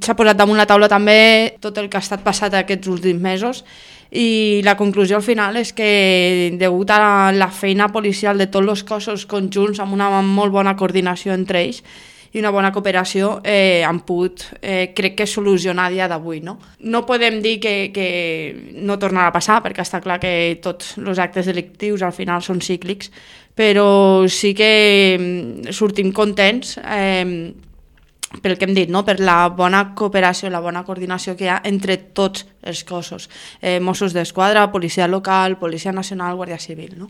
S'ha posat damunt la taula també tot el que ha estat passat aquests últims mesos i la conclusió al final és que degut a la feina policial de tots els cossos conjunts amb una molt bona coordinació entre ells i una bona cooperació han pogut, crec que, solucionar a dia d'avui. No podem dir que no tornarà a passar, perquè està clar que tots els actes delictius al final són cíclics, però sí que sortim contents pel que hem dit, per la bona cooperació, la bona coordinació que hi ha entre tots els cossos, Mossos d'Esquadra, Policia Local, Policia Nacional, Guàrdia Civil.